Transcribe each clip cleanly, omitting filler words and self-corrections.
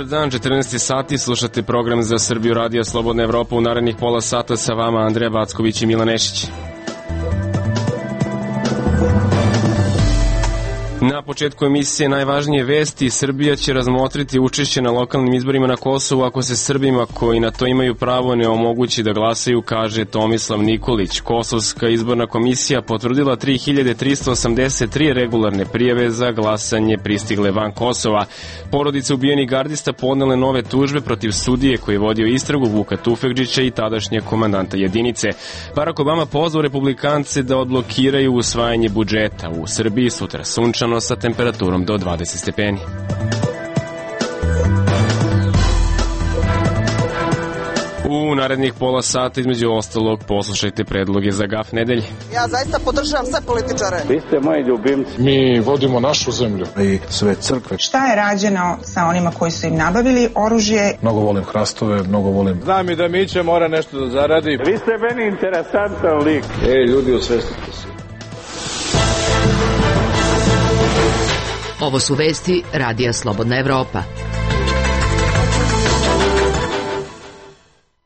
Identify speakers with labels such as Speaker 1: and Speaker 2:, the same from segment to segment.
Speaker 1: Dobar dan, 14 sati, slušate program za Srbiju Radio Slobodna Evropa. U narednih pola sata sa vama Andreja Backović i Milan Nešić. Na početku emisije najvažnije vesti. Srbija će razmotriti učešće na lokalnim izborima na Kosovu ako se Srbima koji na to imaju pravo ne omogući da glasaju, kaže Tomislav Nikolić. Kosovska izborna komisija potvrdila 3383 regularne prijave za glasanje pristigle van Kosova. Porodice ubijenih gardista podnele nove tužbe protiv sudije koji je vodio istragu Vuka Tufekđića i tadašnje komandanta jedinice. Barack Obama pozvao republikance da odblokiraju usvajanje budžeta. U Srbiji sutra sunčano sa temperaturom do 20 stepeni. U narednih pola sata između ostalog poslušajte predloge za GAF nedelje.
Speaker 2: Ja zaista podržavam sve političare.
Speaker 3: Vi ste moji ljubimci.
Speaker 4: Mi vodimo našu zemlju i sve crkve.
Speaker 5: Šta je rađeno sa onima koji su im nabavili oružje?
Speaker 4: Mnogo volim hrastove, mnogo volim.
Speaker 3: Znam i da Miće mora nešto da zaradi. Vi ste meni interesantan lik.
Speaker 6: Ljudi, osvestite se.
Speaker 7: Ovo su vesti Radija Slobodna Evropa.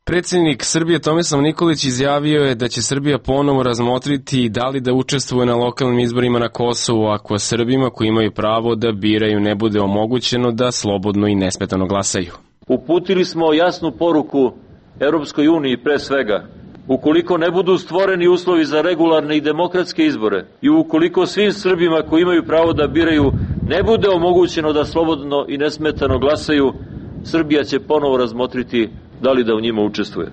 Speaker 1: Predsjednik Srbije Tomislav Nikolić izjavio je da će Srbija ponovo razmotriti da li da učestvuje na lokalnim izborima na Kosovu ako Srbima koji imaju pravo da biraju ne bude omogućeno da slobodno i nesmetano glasaju.
Speaker 8: Uputili smo jasnu poruku Europskoj uniji pre svega. Ukoliko ne budu stvoreni uslovi za regularne i demokratske izbore i ukoliko svim Srbima koji imaju pravo da biraju ne bude omogućeno da slobodno i nesmetano glasaju, Srbija će ponovo razmotriti da li da u njima učestvuje.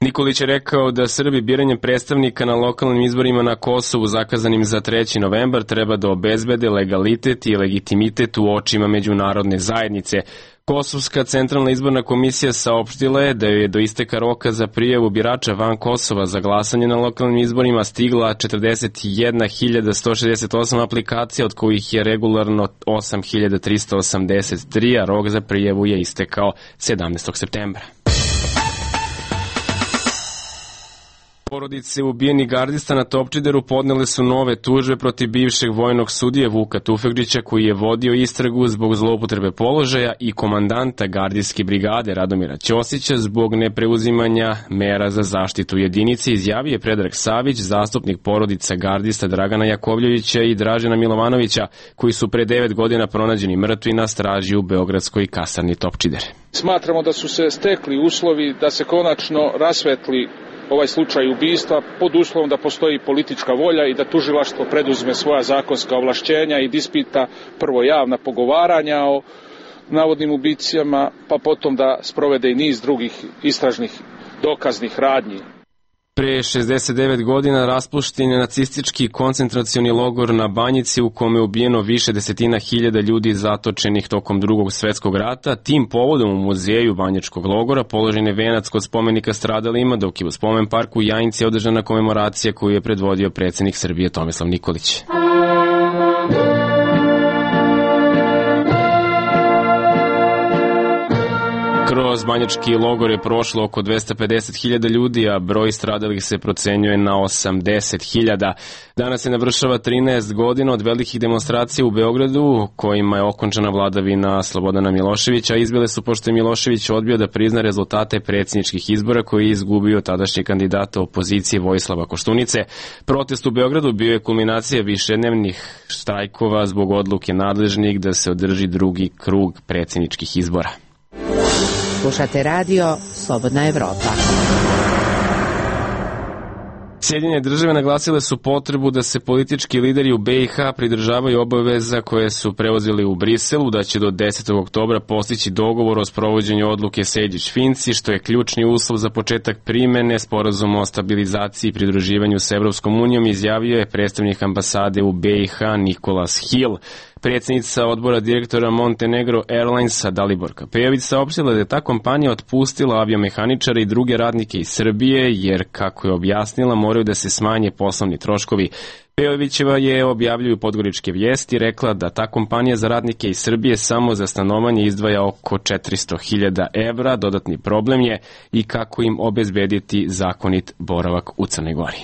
Speaker 1: Nikolić je rekao da Srbi biranjem predstavnika na lokalnim izborima na Kosovu zakazanim za 3. novembar treba da obezbede legalitet i legitimitet u očima međunarodne zajednice. Kosovska centralna izborna komisija saopštila je da joj je do isteka roka za prijavu birača van Kosova za glasanje na lokalnim izborima stigla 41.168 aplikacija, od kojih je regularno 8.383, a rok za prijavu je istekao 17. septembra. Porodice ubijenih gardista na Topčideru podnele su nove tužbe protiv bivšeg vojnog sudije Vuka Tufekđića koji je vodio istragu zbog zloupotrebe položaja i komandanta gardijske brigade Radomira Ćosića zbog nepreuzimanja mera za zaštitu jedinice, izjavio je Predrag Savić, zastupnik porodica gardista Dragana Jakovljevića i Dražena Milovanovića, koji su pre 9 godina pronađeni mrtvi na straži u beogradskoj kasarni Topčider.
Speaker 4: Smatramo da su se stekli uslovi da se konačno rasvetli ovaj slučaj ubistva pod uslovom da postoji politička volja i da tužilaštvo preduzme svoja zakonska ovlašćenja i da ispita prvo javna pogovaranja o navodnim ubicama, pa potom da sprovede i niz drugih istražnih dokaznih radnji.
Speaker 1: Pre 69 godina raspušten je nacistički koncentracioni logor na Banjici u kome je ubijeno više desetina hiljada ljudi zatočenih tokom Drugog svetskog rata. Tim povodom u muzeju Banjačkog logora položen je venac kod spomenika stradalima, dok je u spomen parku u Jajinci održana komemoracija koju je predvodio predsjednik Srbije Tomislav Nikolić. Kroz Banjački logor je prošlo oko 250.000 ljudi, a broj stradalih se procenjuje na 80.000. Danas se navršava 13 godina od velikih demonstracija u Beogradu, kojima je okončana vladavina Slobodana Miloševića, a izbile su pošto je Milošević odbio da prizna rezultate predsjedničkih izbora koji je izgubio tadašnji kandidata opozicije Vojislava Koštunice. Protest u Beogradu bio je kulminacija višednevnih štrajkova zbog odluke nadležnih da se održi drugi krug predsjedničkih izbora.
Speaker 7: Slušate radio Slobodna Evropa.
Speaker 1: Sjedinjene države naglasile su potrebu da se politički lideri u BiH pridržavaju obaveza koje su preuzeli u Briselu, da će do 10. oktobra postići dogovor o sprovođenju odluke Sejdić-Finci, što je ključni uslov za početak primene sporazuma o stabilizaciji i pridruživanju s Evropskom unijom, izjavio je predstavnik ambasade u BiH Nikolas Hill. Predsjednica odbora direktora Montenegro Airlinesa Dalibor Kapejović saopštila da je ta kompanija otpustila aviomehaničare i druge radnike iz Srbije jer, kako je objasnila, moraju da se smanje poslovni troškovi. Pejovićeva je, objavljuju Podgoričke vijesti, rekla da ta kompanija za radnike iz Srbije samo za stanovanje izdvaja oko 400.000 evra. Dodatni problem je i kako im obezbediti zakonit boravak u Crnoj Gori.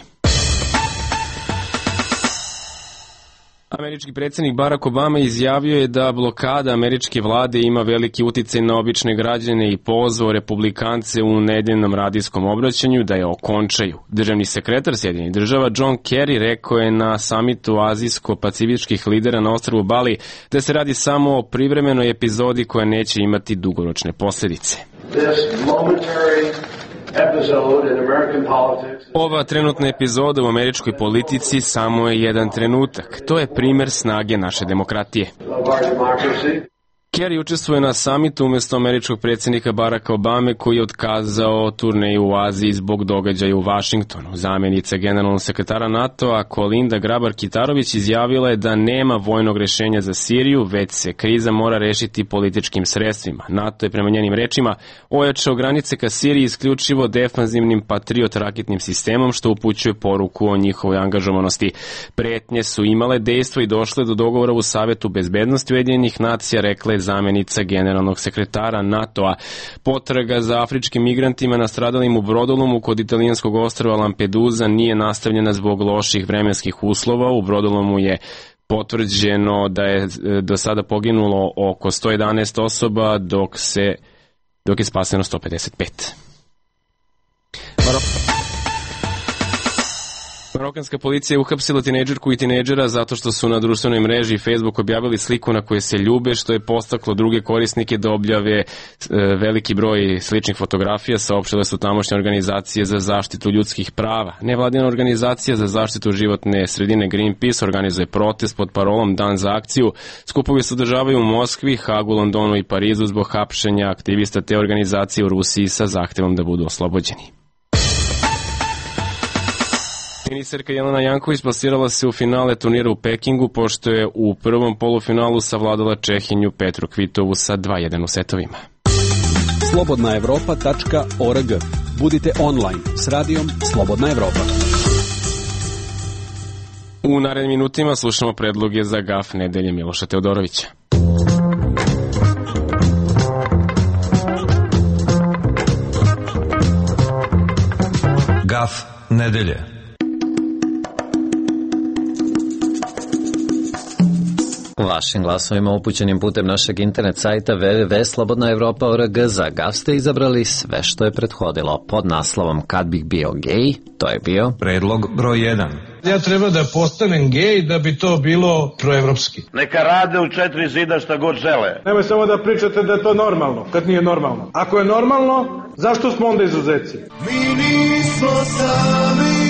Speaker 1: Američki predsjednik Barack Obama izjavio je da blokada američke vlade ima veliki uticaj na obične građane i pozvao republikance u nedeljnom radijskom obraćanju da je okončaju. Državni sekretar Sjedinjenih država John Kerry rekao je na samitu azijsko-pacifičkih lidera na ostrvu Bali da se radi samo o privremenoj epizodi koja neće imati dugoročne posljedice. Ova trenutna epizoda u američkoj politici samo je jedan trenutak. To je primer snage naše demokratije. Kerry učestvuje na samitu umjesto američkog predsjednika Baracka Obame koji je otkazao turneju u Aziji zbog događaja u Vašingtonu. Zamjenica generalnog sekretara NATO-a Kolinda Grabar-Kitarović izjavila je da nema vojnog rješenja za Siriju, već se kriza mora rešiti političkim sredstvima. NATO je prema njenim rečima ojačao granice ka Siriji isključivo defanzivnim Patriot raketnim sistemom, što upućuje poruku o njihovoj angažovanosti. Pretnje su imale dejstvo i došle do dogovora u Savetu bezbednosti Ujedinjenih nacija, rekla je zamjenica generalnog sekretara NATO-a. Potraga za afričkim migrantima nastradalim u brodolomu kod italijanskog ostrva Lampedusa nije nastavljena zbog loših vremenskih uslova. U brodolomu je potvrđeno da je do sada poginulo oko 111 osoba, dok je spaseno 155. Marokanska policija je uhapsila tinejdžerku i tinejdžera zato što su na društvenoj mreži Facebook objavili sliku na kojoj se ljube, što je podstaklo druge korisnike da objave veliki broj sličnih fotografija, saopštile su tamošnje organizacije za zaštitu ljudskih prava. Nevladina organizacija za zaštitu životne sredine Greenpeace organizuje protest pod parolom Dan za akciju. Skupovi se održavaju u Moskvi, Hagu, Londonu i Parizu zbog hapšenja aktivista te organizacije u Rusiji sa zahtevom da budu oslobođeni. Teniserka Jelena Janković plasirala se u finale turnira u Pekingu, pošto je u prvom polufinalu savladala Čehinju Petru Kvitovu sa 2:1 u setovima.
Speaker 6: slobodnaevropa.org. Budite online s radijom Slobodna Evropa.
Speaker 1: U narednim minutima slušamo predloge za GAF nedelje Miloša Teodorovića.
Speaker 9: GAF nedelje.
Speaker 10: Vašim glasovima upućenim putem našeg internet sajta www.slobodnaevropa.org za GAF ste izabrali sve što je prethodilo. Pod naslovom Kad bih bio gej, to je bio
Speaker 9: predlog broj 1.
Speaker 11: Ja treba da postanem gej da bi to bilo proevropski.
Speaker 12: Neka rade u četiri zida šta god žele.
Speaker 3: Nemoj samo da pričate da je to normalno, kad nije normalno. Ako je normalno, zašto smo onda izuzeci?
Speaker 13: Mi nismo sami.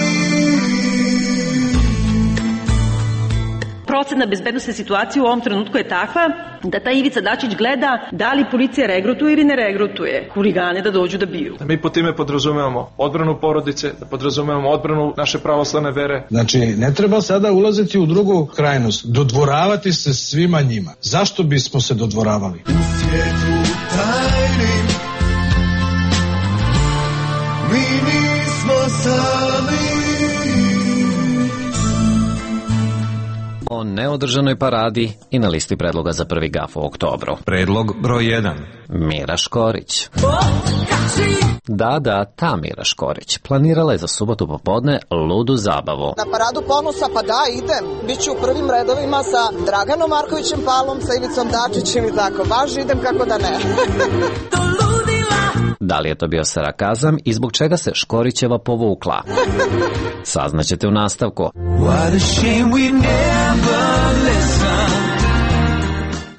Speaker 14: Procena bezbednostne situacije u ovom trenutku je takva da ta Ivica Dačić gleda da li policija regrutuje ili ne regrutuje huligane da dođu da biju.
Speaker 3: Da mi po time podrazumevamo odbranu porodice, da podrazumevamo odbranu naše pravoslavne vere.
Speaker 11: Znači, ne treba sada ulaziti u drugu krajnost, dodvoravati se svima njima. Zašto bismo se dodvoravali?
Speaker 13: U svijetu tajni mi nismo sami.
Speaker 10: O neodržanoj paradi i na listi predloga za prvi GAF u oktobru.
Speaker 9: Predlog broj 1.
Speaker 10: Mira Škorić. Da, ta Mira Škorić planirala je za subotu popodne ludu zabavu.
Speaker 2: Na paradu ponosa, pa da, idem. Biću u prvim redovima sa Draganom Markovićem Palom, sa Ivicom Dačićem i tako. Baš idem, kako da ne.
Speaker 10: Da li je to bio sarakazam i zbog čega se Škorićeva povukla? Saznaćete u nastavku.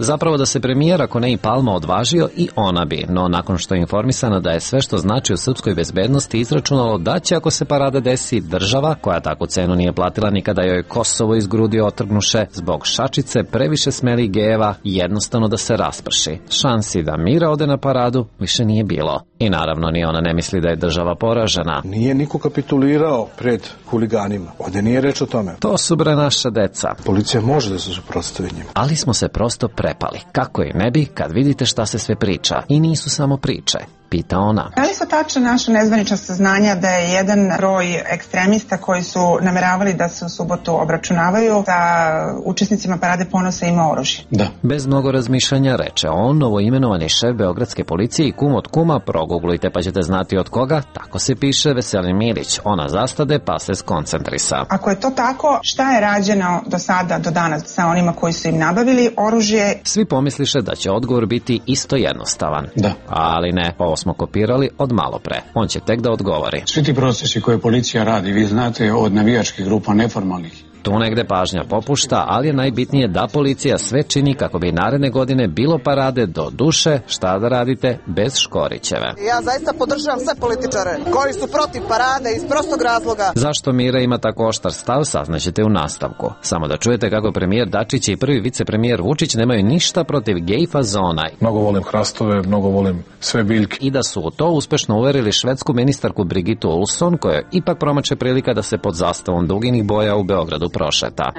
Speaker 10: Zapravo da se premijer, ako ne i Palma, odvažio i ona bi, no nakon što je informisana da je sve što znači u srpskoj bezbednosti izračunalo da će, ako se parada desi, država, koja takvu cenu nije platila nikada joj Kosovo iz grudi otrgnuše, zbog šačice previše smelih gejeva, jednostavno da se rasprši. Šansi da Mira ode na paradu više nije bilo. I naravno ni ona ne misli da je država poražena.
Speaker 11: Nije niko kapitulirao pred huliganima. Ovdje nije reč o tome.
Speaker 10: To su bre naša deca.
Speaker 11: Policija može da se suprotstavi njima.
Speaker 10: Ali smo se prosto prepali. Kako i ne bi kad vidite šta se sve priča. I nisu samo priče. pita ona.
Speaker 5: Da li su tačna naša nezvanična saznanja da je jedan broj ekstremista koji su nameravali da se u subotu obračunavaju sa učesnicima Parade ponosa ima oružje?
Speaker 11: Da.
Speaker 10: Bez mnogo razmišljanja reče on, novoimenovani šef beogradske policije i kum od kuma, proguglujte pa ćete znati od koga, tako se piše Veselin Milić, ona zastade pa se skoncentrisa.
Speaker 5: Ako je to tako, šta je rađeno do sada, do danas sa onima koji su im nabavili oružje?
Speaker 10: Svi pomisliše da će odgovor biti isto jednostavan.
Speaker 11: Da.
Speaker 10: Ali ne, ovo smo kopirali od malo pre. On će tek da odgovori.
Speaker 11: Svi ti procesi koje policija radi, vi znate, od navijačkih grupa neformalnih.
Speaker 10: Tu negde pažnja popušta, ali je najbitnije da policija sve čini kako bi naredne godine bilo parade do duše, šta da radite, bez Škorićeve.
Speaker 2: Ja zaista podržavam sve političare koji su protiv parade iz prostog razloga.
Speaker 10: Zašto Mira ima tako oštar stav, saznaćete u nastavku. Samo da čujete kako premijer Dačić i prvi vicepremijer Vučić nemaju ništa protiv gej fazona.
Speaker 3: Mnogo volim hrastove, mnogo volim sve biljke.
Speaker 10: I da su u to uspešno uverili švedsku ministarku Brigitu Olsson, koja ipak promače prilika da se pod zastavom duginih boja u Beogradu prošeta.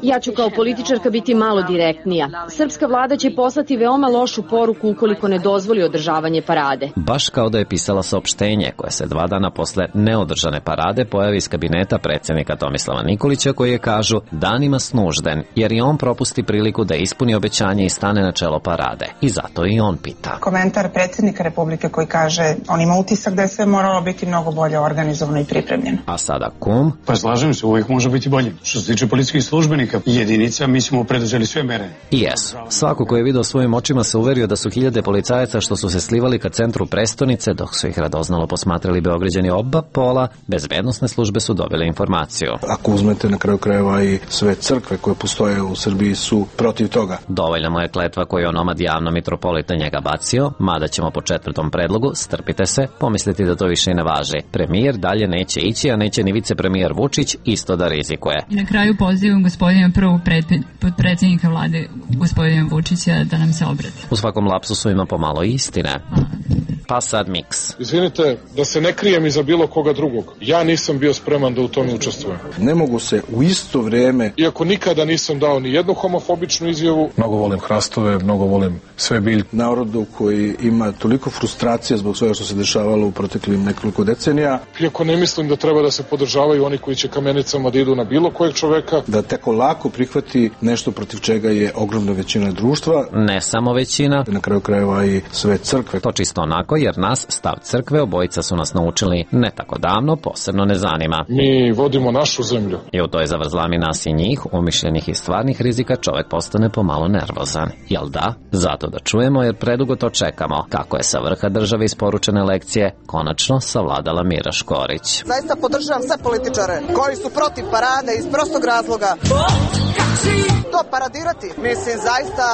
Speaker 15: Ja ću kao političarka biti malo direktnija. Srpska vlada će poslati veoma lošu poruku ukoliko ne dozvoli održavanje parade.
Speaker 10: Baš kao da je pisala saopštenje koje se 2 dana posle neodržane parade pojavi iz kabineta predsjednika Tomislava Nikolića, koji je, kažu, danima snužden, jer i on propusti priliku da ispuni obećanje i stane na čelo parade. I zato i on pita.
Speaker 5: Komentar predsjednika Republike koji kaže on ima utisak da je sve moralo biti mnogo bolje organizovano i pripremljeno.
Speaker 10: A sada kum?
Speaker 11: Pa slažem se, uvijek može biti bolje. Što se tiče policijskih službenika i jedinica, mi smo preduzeli sve mere.
Speaker 10: I jesu. Svako ko je video svojim očima se uverio da su hiljade policajaca što su se slivali ka centru prestonice, dok su ih radoznalo posmatrali Beograđani oba pola, bezbednosne službe su dobile informaciju.
Speaker 11: Ako uzmete na kraju krajeva i sve crkve koje postoje u Srbiji su protiv toga.
Speaker 10: Dovoljna mu je kletva koju je onomad javno mitropolita njega bacio, mada ćemo po 4. predlogu, strpite se, pomisliti da to više i ne važi. Premijer dalje neće ići, a neće ni vicepremijer Vučić isto da rizikuje.
Speaker 16: I na kraju pozivam gospodina prvog potpredsjednika vlade, gospodina Vučića, da nam se obrati.
Speaker 10: U svakom lapsusu ima pomalo istine. Pa sad miks.
Speaker 4: Izvinite, da se ne krijem iza bilo koga drugog. Ja nisam bio spreman da u tome učestvujem.
Speaker 11: Ne mogu se u isto vrijeme...
Speaker 4: Iako nikada nisam dao ni jednu homofobičnu izjavu.
Speaker 3: Mnogo volim hrastove, mnogo volim sve biljke.
Speaker 11: Narodu koji ima toliko frustracija zbog svega što se dešavalo u proteklim nekoliko decenija.
Speaker 4: Iako ne mislim da treba da se podržavaju oni koji će kamenicama da idu na bilo kojeg čoveka.
Speaker 11: Da tako lako prihvati nešto protiv čega je ogromna većina društva.
Speaker 10: Ne samo većina.
Speaker 11: Na kraju krajeva i sve crkve.
Speaker 10: To čisto onako, jer nas, stav crkve, obojica su nas naučili ne tako davno, posebno ne zanima.
Speaker 4: Mi vodimo našu zemlju.
Speaker 10: I u toj zavrzlami nas i njih, umišljenih i stvarnih rizika, čovek postane pomalo nervozan. Jel da? Zato da čujemo, jer predugo to čekamo. Kako je sa vrha države isporučene lekcije konačno savladala Mira Škorić.
Speaker 2: Zaista podržavam sve političare koji su protiv parade iz prostog razloga. To paradirati, mislim, zaista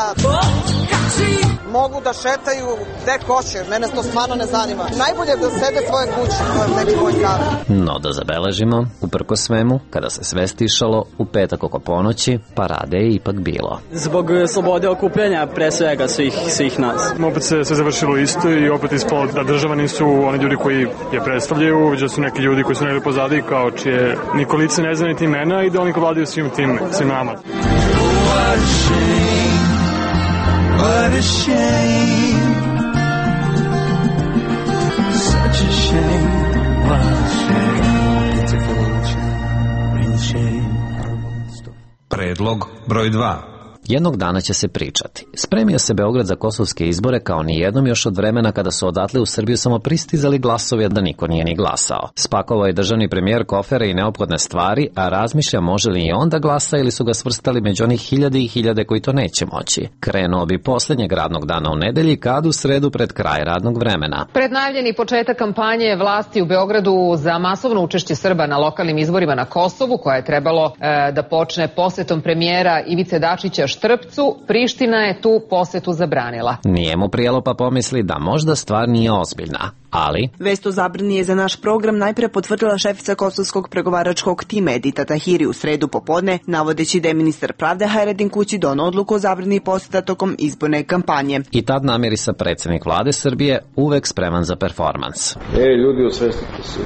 Speaker 2: mogu da šetaju gde hoće, mene to stvarno ne zanima. Najbolje da sede svoje kuće, to je neki moj kamer.
Speaker 10: No da zabeležimo, uprko svemu, kada se sve stišalo, u petak oko ponoći, parade je ipak bilo.
Speaker 17: Zbog slobode okupljanja, pre svega svih nas.
Speaker 3: Opet se sve završilo isto i opet ispalo da država nisu oni ljudi koji je predstavljaju, već da su neki ljudi koji su negdje pozadi, kao čije niko lice ne zna niti imena i da oni vladaju svim nama.
Speaker 13: What a shame, such a shame, what a shame, pitiful shame, real shame.
Speaker 9: Predlog broj 2.
Speaker 10: Jednog dana će se pričati. Spremio se Beograd za kosovske izbore kao ni jednom još od vremena kada su odatle u Srbiju samo pristizali glasovi, da niko nije ni glasao. Spakovao je državni premijer kofere i neophodne stvari, a razmišlja može li i on da glasa ili su ga svrstali među onih hiljade i hiljade koji to neće moći. Krenuo bi posljednjeg radnog dana u nedelji, kad u sredu pred kraj radnog vremena.
Speaker 18: Pred najavljeni početak kampanje vlasti u Beogradu za masovno učešće Srba na lokalnim izborima na Kosovu, koja je trebalo da počne posjetom premijera Ivice Dačića Štrpcu, Priština je tu posjetu zabranila.
Speaker 10: Nije mu prijelo pa pomisli da možda stvar nije ozbiljna, ali...
Speaker 19: Vest o zabrani je za naš program najpre potvrdila šefica kosovskog pregovaračkog tima Edita Tahiri u sredu popodne, navodeći da je ministar pravde Hajredin Kući donao odluku o zabrani posjeta tokom izborne kampanje.
Speaker 10: I tad namirisa predsjednik vlade Srbije, uvek spreman za performans.
Speaker 20: Ljudi, osvestite se.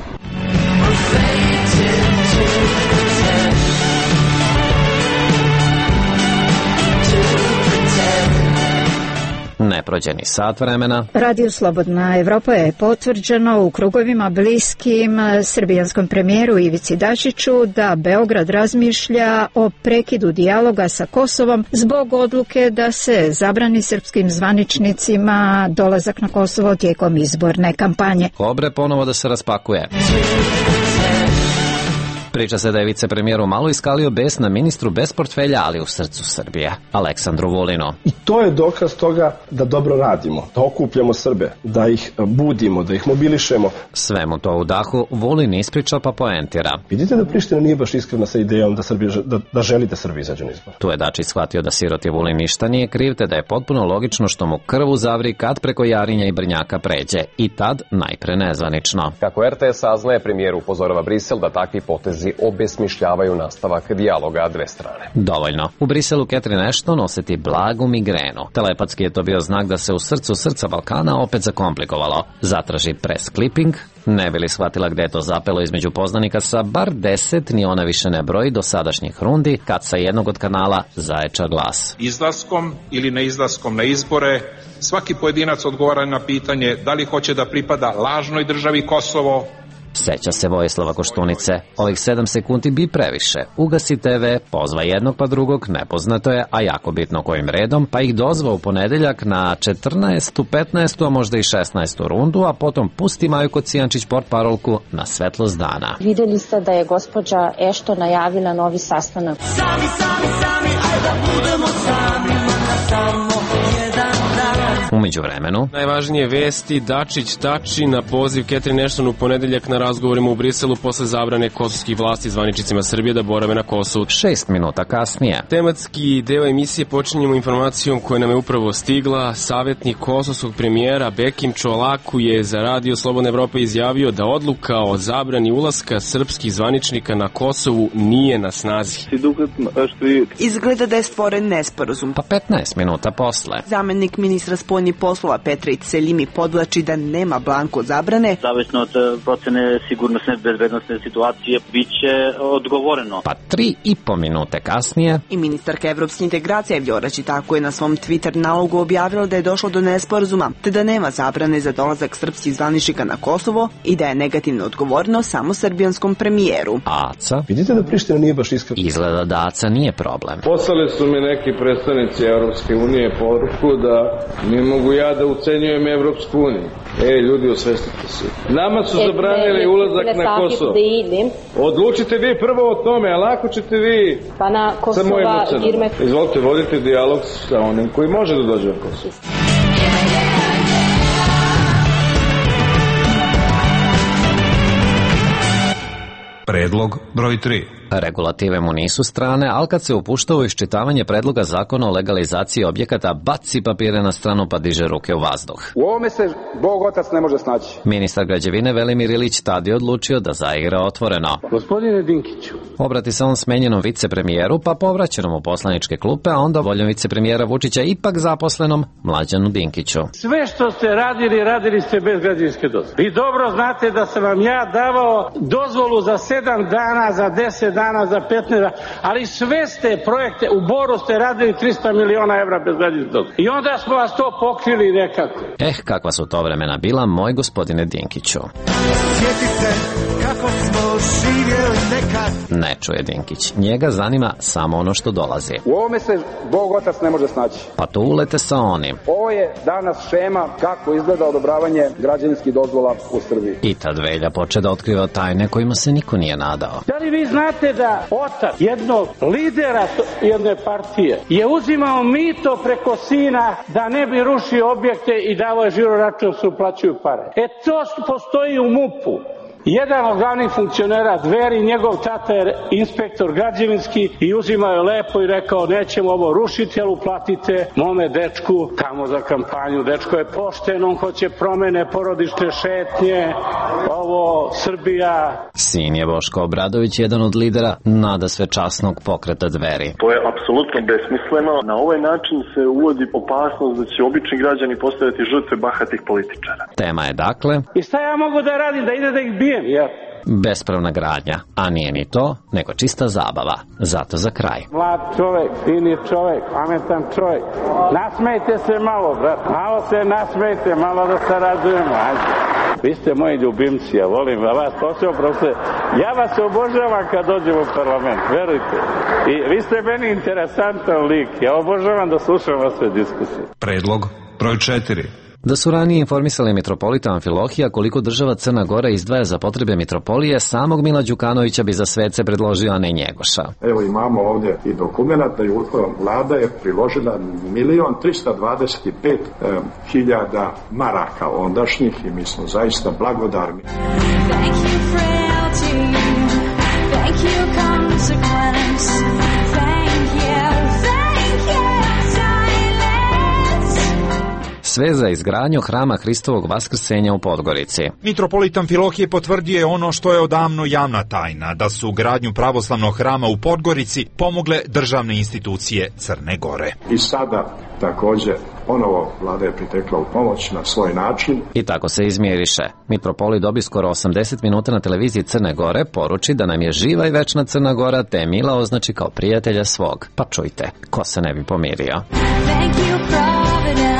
Speaker 10: ne prođe ni sat vremena.
Speaker 20: Radio Slobodna Evropa je potvrđeno u krugovima bliskim srbijanskom premijeru Ivici Dačiću da Beograd razmišlja o prekidu dijaloga sa Kosovom zbog odluke da se zabrani srpskim zvaničnicima dolazak na Kosovo tijekom izborne kampanje.
Speaker 10: Kobre ponovo da se raspakuje. Priča se da je vicepremijer malo iskalio bes na ministru bez portfelja, ali u srcu Srbije, Aleksandru Vulinu.
Speaker 21: I to je dokaz toga da dobro radimo, da okupljamo Srbe, da ih budimo, da ih mobilišemo.
Speaker 10: Sve mu to u dahu Vulin ispriča pa poentira.
Speaker 21: Vidite da Priština nije baš iskrena sa idejom da želi da Srbi izađu na izbor.
Speaker 10: Tu je Dačić shvatio da siroti Vulin ništa nije kriv, te da je potpuno logično što mu krv uzavri kad preko Jarinja i Brnjaka pređe. I tad najpre nezvanično.
Speaker 22: Kako RTS saznaje, premijer upozorava Brisel da takvi potezi obesmišljavaju nastavak dijaloga dve strane.
Speaker 10: Dovoljno. U Briselu Catherine Ashton oseti blagu migrenu. Telepatski je to bio znak da se u srcu srca Balkana opet zakomplikovalo. Zatraži press clipping, ne bi li shvatila gde je to zapelo između poznanika sa bar 10, ni ona više ne broji do sadašnjih rundi, kad sa jednog od kanala zaječa glas.
Speaker 23: Izlaskom ili neizlaskom na izbore, svaki pojedinac odgovara na pitanje da li hoće da pripada lažnoj državi Kosovo.
Speaker 10: Seća se Vojislava Koštunice. Ovih 7 sekundi bi previše. Ugasi TV, pozva jednog pa drugog, nepoznato je, a jako bitno kojim redom, pa ih dozva u ponedeljak na 14., 15., a možda i 16. rundu, a potom pusti Maju Kocijančić portparolku na svetlost dana.
Speaker 24: Videli ste da je gospođa Ešto najavila novi sastanak.
Speaker 13: Sami, ajde da budemo sami, samo jedan dan.
Speaker 10: Umeđu vremenu,
Speaker 1: najvažnije vesti, Dačić tači na poziv Catherine Ashton u ponedeljak na razgovorima u Briselu posle zabrane kosovskih vlasti zvaničnicima Srbije da borave na Kosovu.
Speaker 10: 6 minuta kasnije.
Speaker 1: Tematski deo emisije počinjemo informacijom koja nam je upravo stigla. Savjetnik kosovskog premijera Bekim Čolaku je za Radio Slobodna Evropa izjavio da odluka o zabrani ulaska srpskih zvaničnika na Kosovu nije na snazi.
Speaker 19: Izgleda da je stvoren nesporazum.
Speaker 10: Pa 15 minuta posle.
Speaker 19: Zamenik ministra spoljnih poslova Petrić Selimi podvlači da nema blanko zabrane.
Speaker 25: Zavisno od procene sigurnosne bezbednosne situacije biće odgovoreno.
Speaker 10: Pa 3,5 minute kasnije.
Speaker 19: I ministarka evropskih integracija Vljora Čitako je na svom Twitter nalogu objavila da je došlo do nesporazuma, te da nema zabrane za dolazak srpskih zvaničnika na Kosovo i da je negativno odgovorno samo srbijanskom premijeru.
Speaker 10: Aca?
Speaker 21: Vidite da Priština nije baš iskrena.
Speaker 10: Izgleda da Aca nije problem.
Speaker 26: Poslali su mi neki predstavnici Evropske unije poruku da ne mogu ja da ucenjujem Evropsku uniju. Ljudi, osvestite se. Nama su zabranili ulazak na Kosovo. Odlučite vi prvo o tome, a lako ćete vi sa mojim ocenom. Izvolite, vodite dijalog sa onim koji može da dođe na Kosovo.
Speaker 9: Predlog broj 3.
Speaker 10: Regulative mu nisu strane, ali kad se upušta u iščitavanje predloga zakona o legalizaciji objekata, baci papire na stranu pa diže ruke u vazduh.
Speaker 27: U ovome se Bog otac ne može snaći.
Speaker 10: Ministar građevine Velimir Ilić tad je odlučio da zaigra otvoreno.
Speaker 27: Gospodine Dinkiću.
Speaker 10: Obrati se on smenjenom vicepremijeru, pa povraćenom u poslaničke klupe, a onda voljom vicepremijera Vučića ipak zaposlenom Mlađanu Dinkiću.
Speaker 27: Sve što ste radili ste bez građevinske dozvole. Vi dobro znate da sam vam ja davao dozvolu za 7 dana, za 10 dana, za 15 dana, ali sve ste projekte, u Boru ste radili 300 miliona evra bez građevinske dozvole. I onda smo vas to pokrili nekako.
Speaker 10: Kakva su to vremena bila, moj gospodine Dinkiću.
Speaker 13: Sjetite kako smo živjeli nekad.
Speaker 10: Ne čuje Dinkić. Njega zanima samo ono što dolazi.
Speaker 27: U ovome se Bog otac ne može snaći.
Speaker 10: Pa tu ulete sa onim.
Speaker 27: Ovo je danas šema kako izgleda odobravanje građevinskih dozvola u Srbiji.
Speaker 10: I tad Velja poče da otkriva tajne kojima se niko nije nadao.
Speaker 27: Da li vi znate da otac jednog lidera jedne partije je uzimao mito preko sina da ne bi rušio objekte i davao je žiro račun se uplaćuju pare? To postoji u MUP-u. Jedan od glavnih funkcionera Dveri, njegov tata je inspektor građevinski i uzimao je lepo i rekao nećemo ovo rušiti, ali uplatite mome dečku tamo za kampanju. Dečko je pošten, on hoće promene, porodične šetnje, ovo Srbija.
Speaker 10: Sin je Boško Obradović, jedan od lidera nadasvečasnog pokreta Dveri.
Speaker 28: To je apsolutno besmisleno. Na ovaj način se uvodi opasnost da će obični građani postaviti žrtve bahatih političara.
Speaker 10: Tema je dakle...
Speaker 27: I šta ja mogu da radim, da ide da ih bijem, ja?
Speaker 10: Bespravna gradnja, a nije ni to, nego čista zabava. Zato za kraj.
Speaker 27: Mlad čovek, fini čovek, pametan čovek. Nasmejte se malo, brat. Malo se nasmejte, malo da se radujemo. Ajde. Vi ste moji ljubimci, ja volim vas posebno, profesor. Ja vas obožavam kad dođem u parlament, verujte. I vi ste meni interesantan lik. Ja obožavam da slušam vaše diskusije.
Speaker 9: Predlog broj 4.
Speaker 10: Da su ranije informisali mitropolita Amfilohija koliko država Crna Gora izdvaja za potrebe mitropolije, samog Mila Đukanovića bi za svece predložio, a ne Njegoša.
Speaker 21: Evo imamo ovdje i dokumenta i vlada je priložila 1.325.000 maraka ondašnjih i mi smo zaista blagodarni.
Speaker 10: Sve za izgradnju hrama Hristovog vaskrsenja u Podgorici.
Speaker 5: Mitropolit Amfilohije potvrdio je ono što je odavno javna tajna, da su gradnju pravoslavnog hrama u Podgorici pomogle državne institucije Crne Gore.
Speaker 21: I sada također ponovo vlada je pritekla u pomoć na svoj način.
Speaker 10: I tako se izmjeriše. Mitropolit dobi skoro 80 minuta na televiziji Crne Gore, poruči da nam je živa i večna Crna Gora, te Mila označi kao prijatelja svog. Pa čujte, ko se ne bi pomirio.
Speaker 13: Thank you, Providence.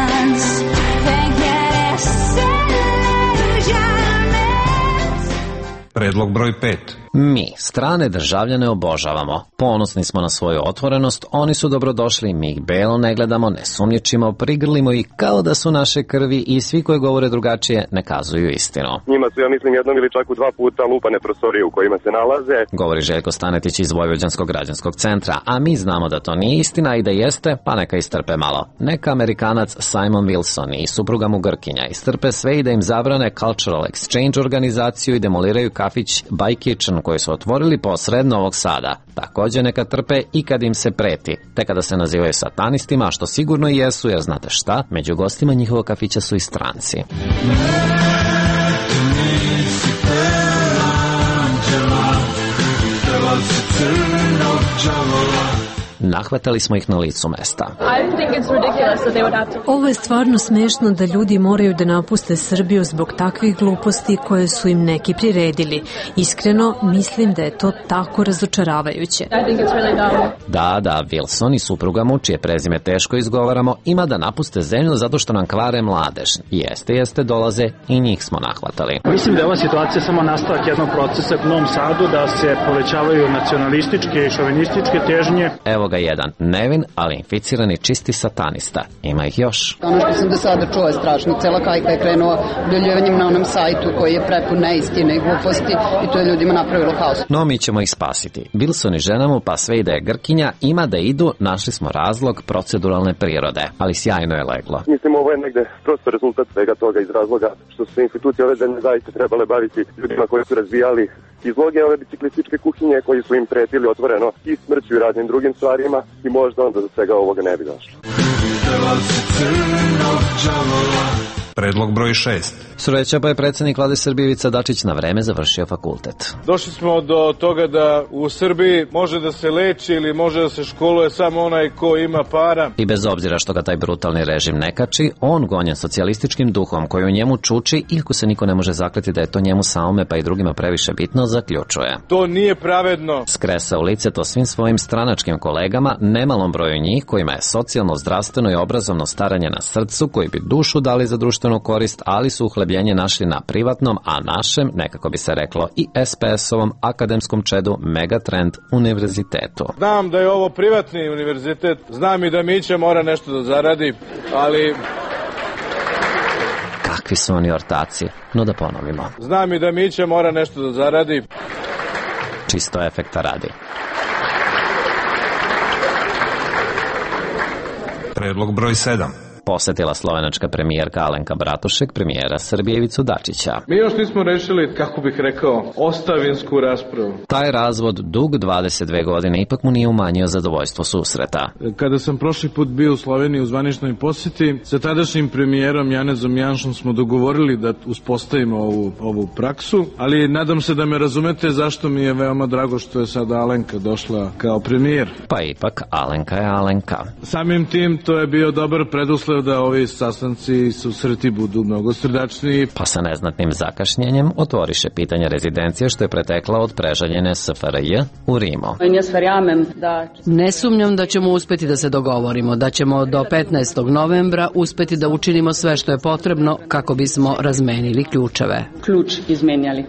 Speaker 9: Predlog broj 5.
Speaker 10: Mi, strane državljane, obožavamo. Ponosni smo na svoju otvorenost, oni su dobrodošli, mi ih belo ne gledamo, ne sumnjičimo, prigrlimo ih kao da su naše krvi i svi koji govore drugačije ne kazuju istinu.
Speaker 6: Njima su, ja mislim, jednom ili čak u 2 puta lupane prostorije u kojima se nalaze.
Speaker 10: Govori Željko Stanetić iz Vojvođanskog građanskog centra, a mi znamo da to nije istina i da jeste, pa neka istrpe malo. Neka Amerikanac Simon Wilson i supruga mu Grkinja istrpe sve i da im zabrane Cultural Exchange organizaciju i demoliraju kafić By Kitchen koji su otvorili posred Novog Sada. Također neka trpe i kad im se preti, te kada se nazivaju satanistima, što sigurno i jesu, jer znate šta, među gostima njihovog kafića su i stranci. Nahvatali smo ih na licu mesta.
Speaker 7: Ovo je stvarno smešno da ljudi moraju da napuste Srbiju zbog takvih gluposti koje su im neki priredili. Iskreno, mislim da je to tako razočaravajuće.
Speaker 10: Da, Wilson i supruga mu, čije prezime teško izgovaramo, ima da napuste zemlju zato što nam kvare mladež. Jeste, dolaze i njih smo nahvatali.
Speaker 8: Mislim da je ova situacija samo nastavak jednog procesa u Novom Sadu, da se povećavaju nacionalističke i šovinističke težnje.
Speaker 10: Evo ga jedan, nevin, ali inficirani čisti satanista. Ima ih još.
Speaker 12: Ono što sam do sada čuo je strašno. Cela kajka je krenula objavljivanjem na onom sajtu koji je prepun neistine i gluposti i to je ljudima napravilo haos.
Speaker 10: No mi ćemo ih spasiti. Wilson i žena mu, pa sve i da je Grkinja, ima da idu, našli smo razlog proceduralne prirode, ali sjajno je leglo.
Speaker 6: Mislim, ovo je negde prosto rezultat svega toga iz razloga što su se institucije ove zemlje zaista trebale baviti ljudima koji su razvijali izloge ove biciklističke kuhinje koji su im pretili otvoreno i smrću i raznim drugim stvarima i možda onda do svega ovoga ne bi došlo.
Speaker 9: Predlog broj 6.
Speaker 10: Sreća pa je predsjednik Vlade Srbije Ivica Dačić na vreme završio fakultet.
Speaker 14: Došli smo do toga da u Srbiji može da se leči ili može da se školuje samo onaj ko ima para.
Speaker 10: I bez obzira što ga taj brutalni režim ne kači, on gonjen socijalističkim duhom koji u njemu čuči, iako se niko ne može zakleti da je to njemu samome pa i drugima previše bitno, zaključuje.
Speaker 14: To nije pravedno.
Speaker 10: Skresa u lice to svim svojim stranačkim kolegama, nemalom broju njih kojima je socijalno, zdravstveno i obrazovno staranje na srcu, koji bi dušu dali za društvenu korist, ali su uhlebljenje našli na privatnom, a našem, nekako bi se reklo, i SPS-ovom akademskom čedu Megatrend univerzitetu.
Speaker 14: Znam da je ovo privatni univerzitet, znam i da Mića mora nešto da zaradi, ali...
Speaker 10: Kakvi su oni ortaci, no da ponovimo.
Speaker 14: Znam i da Mića mora nešto da zaradi.
Speaker 10: Čisto efekta radi.
Speaker 9: Predlog broj 7.
Speaker 10: Posetila slovenačka premijerka Alenka Bratušek premijera Srbije Ivicu Dačića.
Speaker 14: Mi još nismo rešili, kako bih rekao, ostavinsku raspravu.
Speaker 10: Taj razvod dug 22 godine ipak mu nije umanjio zadovoljstvo susreta.
Speaker 14: Kada sam prošli put bio u Sloveniji u zvaničnoj posjeti, sa tadašnjim premijerom Janezom Janšom smo dogovorili da uspostavimo ovu praksu, ali nadam se da me razumete zašto mi je veoma drago što je sada Alenka došla kao premijer.
Speaker 10: Pa ipak Alenka je Alenka.
Speaker 14: Samim tim to je bio dobar preduslov želeo da ovi sastanci i susreti budu mnogo srdačniji.
Speaker 10: Pa sa neznatnim zakašnjenjem otvoriše pitanje rezidencije što je pretekla od prežaljene SFRJ u Rimu.
Speaker 2: Ne sumnjam da ćemo uspeti da se dogovorimo, da ćemo do 15. novembra uspeti da učinimo sve što je potrebno kako bismo razmenili ključeve.
Speaker 12: Ključ izmenjali.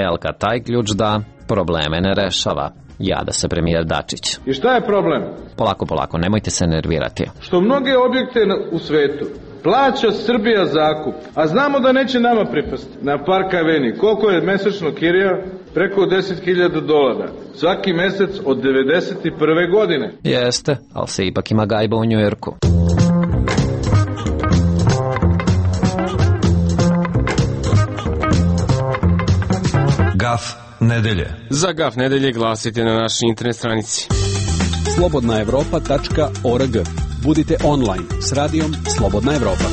Speaker 10: Ali kad taj ključ da, probleme ne rešava. Jada se premijer Dačić.
Speaker 26: I šta je problem?
Speaker 10: Polako, nemojte se nervirati.
Speaker 26: Što mnoge objekte u svetu plaća Srbija zakup, a znamo da neće nama pripasti. Na Park Aveni, koliko je mesečno kirija? Preko $10.000. Svaki mesec od 91. godine.
Speaker 10: Jeste, ali se ipak ima gajba u Njujorku.
Speaker 9: Gaf nedelje.
Speaker 1: Za Gaf nedelje glasite na našoj internet stranici.
Speaker 3: slobodnaevropa.org. Budite online s radijom Slobodna Evropa.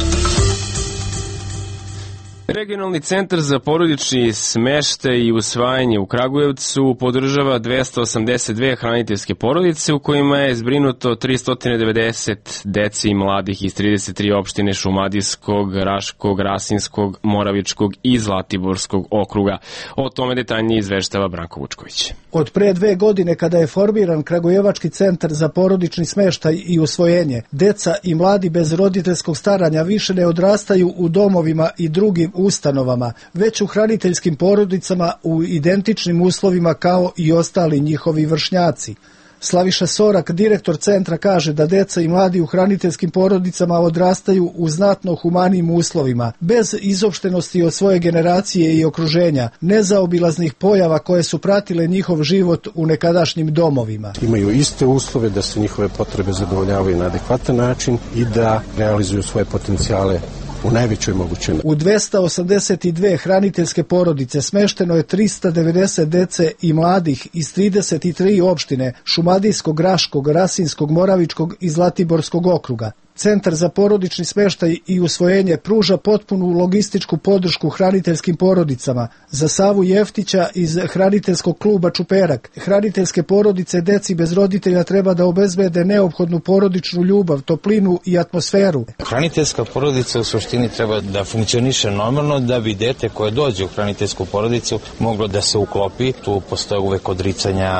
Speaker 1: Regionalni centar za porodični smeštaj i usvajanje u Kragujevcu podržava 282 hraniteljske porodice u kojima je zbrinuto 390 dece i mladih iz 33 opštine Šumadijskog, Raškog, Rasinskog, Moravičkog i Zlatiborskog okruga. O tome detaljnije izveštava Branko Vučković.
Speaker 4: Od pre 2 godine kada je formiran Kragujevački centar za porodični smeštaj i usvojenje, deca i mladi bez roditeljskog staranja više ne odrastaju u domovima i drugim ustanovama, već u hraniteljskim porodicama u identičnim uslovima kao i ostali njihovi vršnjaci. Slaviša Sorak, direktor centra, kaže da deca i mladi u hraniteljskim porodicama odrastaju u znatno humanijim uslovima, bez izopštenosti od svoje generacije i okruženja, nezaobilaznih pojava koje su pratile njihov život u nekadašnjim domovima.
Speaker 11: Imaju iste uslove da se njihove potrebe zadovoljavaju na adekvatan način i da realizuju svoje potencijale u najvećoj mogućoj.
Speaker 4: U 282 hraniteljske porodice smešteno je 390 dece i mladih iz 33 opštine Šumadijskog, Raškog, Rasinskog, Moravičkog i Zlatiborskog okruga. Centar za porodični smeštaj i usvojenje pruža potpunu logističku podršku hraniteljskim porodicama. Za Savu Jeftića iz hraniteljskog kluba Čuperak, hraniteljske porodice deci bez roditelja treba da obezbede neophodnu porodičnu ljubav, toplinu i atmosferu.
Speaker 15: Hraniteljska porodica u suštini treba da funkcioniše normalno da bi dete koje dođe u hraniteljsku porodicu moglo da se uklopi. Tu postoje uvek odricanja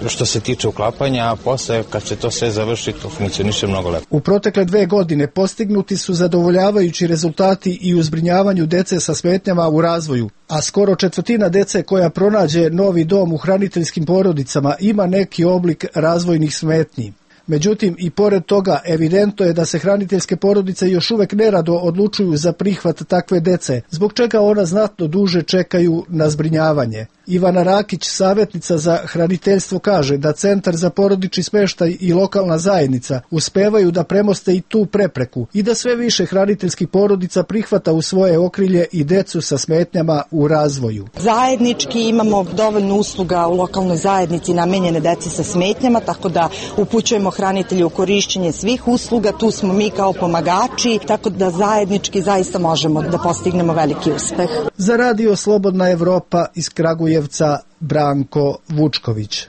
Speaker 15: što se tiče uklapanja, a posle kad se to sve završi, to funkcioniše mnogo lepo.
Speaker 4: U protekle 2 godine postignuti su zadovoljavajući rezultati i u zbrinjavanju dece sa smetnjama u razvoju, a skoro 1/4 dece koja pronađe novi dom u hraniteljskim porodicama ima neki oblik razvojnih smetnji. Međutim, i pored toga evidentno je da se hraniteljske porodice još uvek nerado odlučuju za prihvat takve dece, zbog čega ona znatno duže čekaju na zbrinjavanje. Ivana Rakić, savjetnica za hraniteljstvo, kaže da Centar za porodični smeštaj i lokalna zajednica uspevaju da premoste i tu prepreku i da sve više hraniteljskih porodica prihvata u svoje okrilje i decu sa smetnjama u razvoju.
Speaker 16: Zajednički imamo dovoljno usluga u lokalnoj zajednici namenjene deci sa smetnjama, tako da upućujemo hranitelje u korišćenje svih usluga, tu smo mi kao pomagači, tako da zajednički zaista možemo da postignemo veliki uspeh.
Speaker 4: Za Radio Slobodna Evropa iz Kragujevca, Branko Vučković.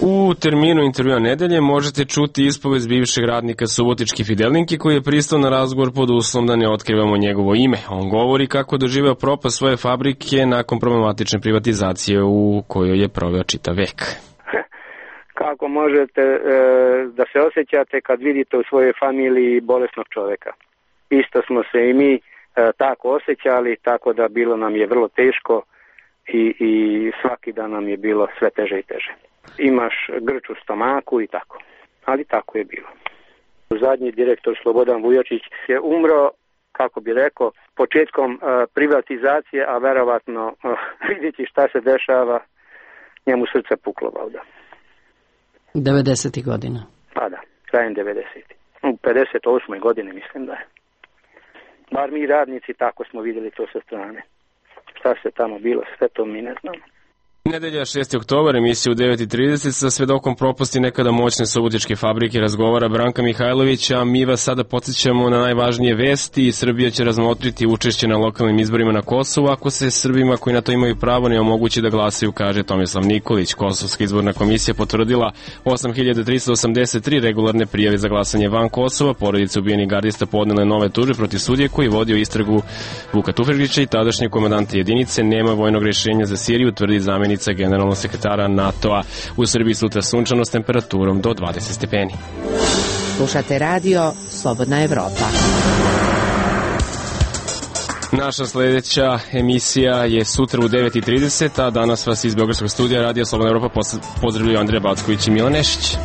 Speaker 1: U terminu intervjua nedelje možete čuti ispovest bivšeg radnika Subotičke Fidelinke koji je pristao na razgovor pod uslovom da ne otkrivamo njegovo ime. On govori kako doživeo propast svoje fabrike nakon problematične privatizacije u kojoj je proveo čitav vek.
Speaker 17: Kako možete da se osjećate kad vidite u svojoj familiji bolesnog čoveka? Isto smo se i mi tako osjećali, tako da bilo nam je vrlo teško i svaki dan nam je bilo sve teže i teže. Imaš grč u stomaku i tako, ali tako je bilo. Zadnji direktor Slobodan Vujočić je umro, kako bi rekao, početkom privatizacije, a verovatno vidjeti šta se dešava, njemu srce puklo valjda.
Speaker 2: 90. godina.
Speaker 17: Pa da, krajem 90. U 58. godini mislim da je. Bar mi radnici tako smo vidjeli to sa strane. Šta se tamo bilo, sve to mi ne znamo.
Speaker 1: Nedelja 6. oktobar, emisija u 9.30 sa svedokom propasti nekada moćne subotičke fabrike razgovara Branka Mihajlović, a mi vas sada podsjećamo na najvažnije vesti. Srbija će razmotriti učešće na lokalnim izborima na Kosovu ako se Srbima koji na to imaju pravo ne omogući da glasaju, kaže Tomislav Nikolić. Kosovska izborna komisija potvrdila 8.383 regularne prijave za glasanje van Kosova. Porodice ubijenih gardista podnele nove tužbe protiv sudije koji vodio istragu Vuka Tufekžića i tadašnje komandante jedinice. Nema vojnog rješenja za Siriju, tvrdi zamjenica generalnog sekretara NATO-a. U Srbiji sutra sunčano s temperaturom do 20 stepeni.
Speaker 18: Slušate radio Slobodna Evropa.
Speaker 1: Naša sledeća emisija je sutra u 9.30, a danas vas iz Beogradskog studija Radio Slobodna Evropa pozdravljaju Andreja Backović i Milan Nešić.